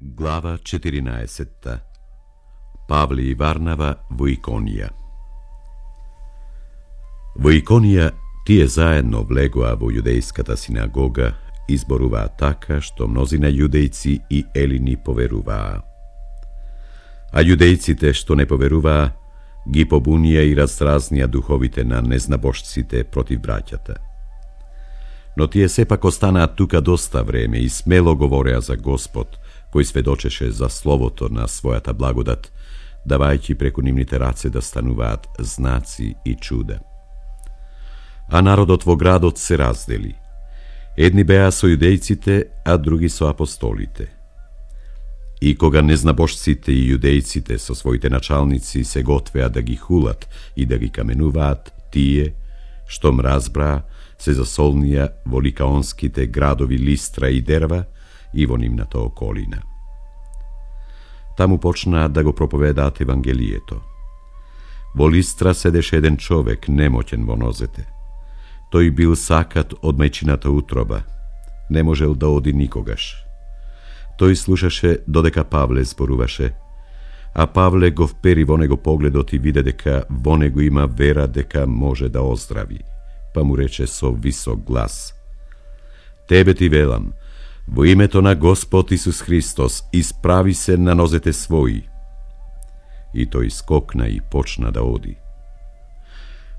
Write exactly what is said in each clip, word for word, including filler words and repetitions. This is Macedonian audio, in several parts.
Глава четиринаесетта. Павле и Варнава во Иконија. Во Иконија тие заедно влегоа во јудејската синагога и зборуваа така што мнозина јудејци и елини поверуваа. А јудејците што не поверуваа ги побунија и разразнија духовите на незнабожците против браќата. Но тие сепак останаа тука доста време и смело говореа за Господ, кој сведочеше за словото на својата благодат, давајќи преку нивните раце да стануваат знаци и чуда. А народот во градот се раздели. Едни беа со јудејците, а други со апостолите. И кога незнабожците и јудејците со своите началници се готвеа да ги хулат и да ги каменуваат, тие, штом разбраа, се засолнија во ликаонските градови Листра и Дерва и во нивната околина. Таму почнаа да го проповедаат Евангелието. Во Листра седеше еден човек, немоќен во нозете. Тој бил сакат од мајчината утроба, не можел да оди никогаш. Тој слушаше додека Павле зборуваше, а Павле го впери во него погледот и виде дека во него има вера дека може да оздрави, па му рече со висок глас: Тебе ти велам, во името на Господ Исус Христос, исправи се на нозете своји. И тој скокна и почна да оди.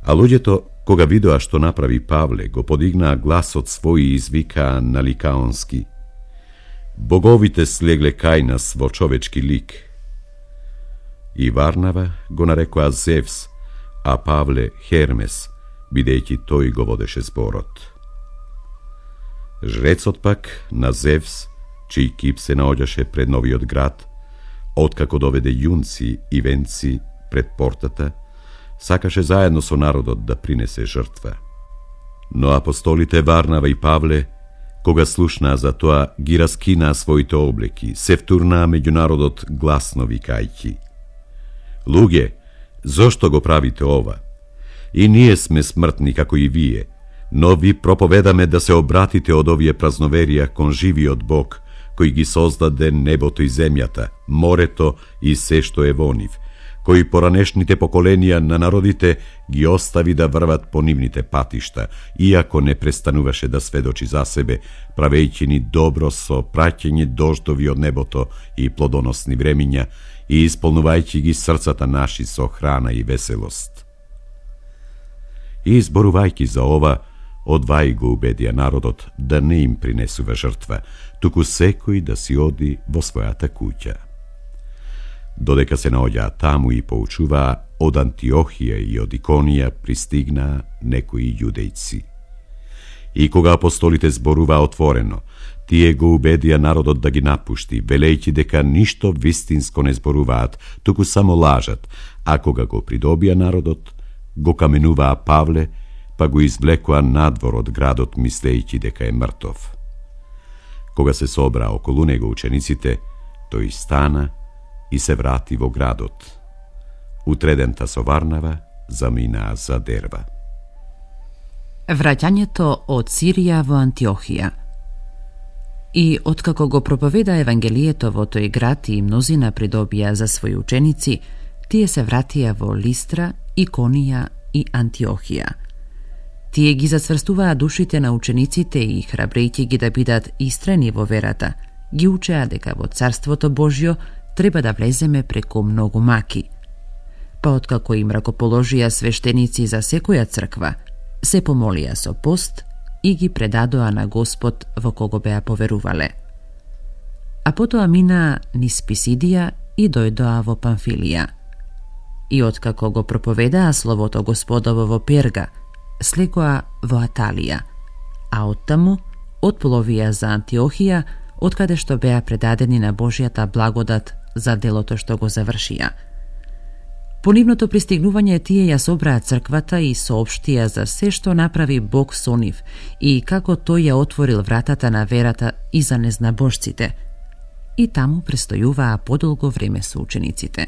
А луѓето, кога видоа што направи Павле, го подигнаа гласот свој и извикаа на ликаонски: Боговите слегле кај нас во човечки лик. И Варнава го нарекоа Зевс, а Павле Хермес, бидејќи тој го водеше зборот. Жрецот пак на Зевс, чиј кип се наоѓаше пред новиот град, откако доведе јунци и венци пред портата, сакаше заедно со народот да принесе жртва. Но апостолите Варнава и Павле, кога слушнаа за тоа, ги раскинаа своите облеки, се втурнаа меѓу народот гласно викајќи: Луѓе, зошто го правите ова? И ние сме смртни како и вие, но ви проповедаме да се обратите од овие празноверија кон живиот Бог, кој ги создаде небото и земјата, морето и се што е во нив, кој поранешните поколенија на народите ги остави да врват по нивните патишта, иако не престануваше да сведочи за себе, правејќи ни добро со праќање дождови од небото и плодоносни времиња и исполнувајќи ги срцата наши со храна и веселост. И изборувајќи за ова, одвај го убедија народот да не им принесува жртва, туку секој да си оди во својата куќа. Додека се наоѓаа таму и поучуваа, од Антиохија и од Иконија пристигнаа некои јудејци. И кога апостолите зборуваа отворено, тие го убедија народот да ги напушти, велејќи дека ништо вистинско не зборуваат, туку само лажат, а кога го придобија народот, го каменуваа Павле, па го извлекоа надвор од градот, мислејќи дека е мртов. Кога се собраа околу него учениците, тој стана и се врати во градот. Утредента со Варнава заминаа за Дерва. Враќањето од Сирија во Антиохија. И откако го проповеда Евангелието во тој град и мнозина придобија за своји ученици, тие се вратија во Листра, Иконија и Антиохија. Тие ги зацврстуваа душите на учениците и, храбрејќи ги да бидат истрени во верата, ги учеа дека во Царството Божјо треба да влеземе преку многу маки. Па откако им ракоположија свештеници за секоја црква, се помолија со пост и ги предадоа на Господ во кого беа поверувале. А потоа минаа низ Писидија и дојдоа во Памфилија. И откако го проповедаа словото Господово во Перга, слегоа во Аталија, а оттаму отпловија за Антиохија, откаде што беа предадени на Божјата благодат за делото што го завршија. По нивното пристигнување тие ја собраа црквата и соопштија за се што направи Бог со нив и како тој ја отворил вратата на верата и за незнабожците. И таму престојуваа подолго време со учениците.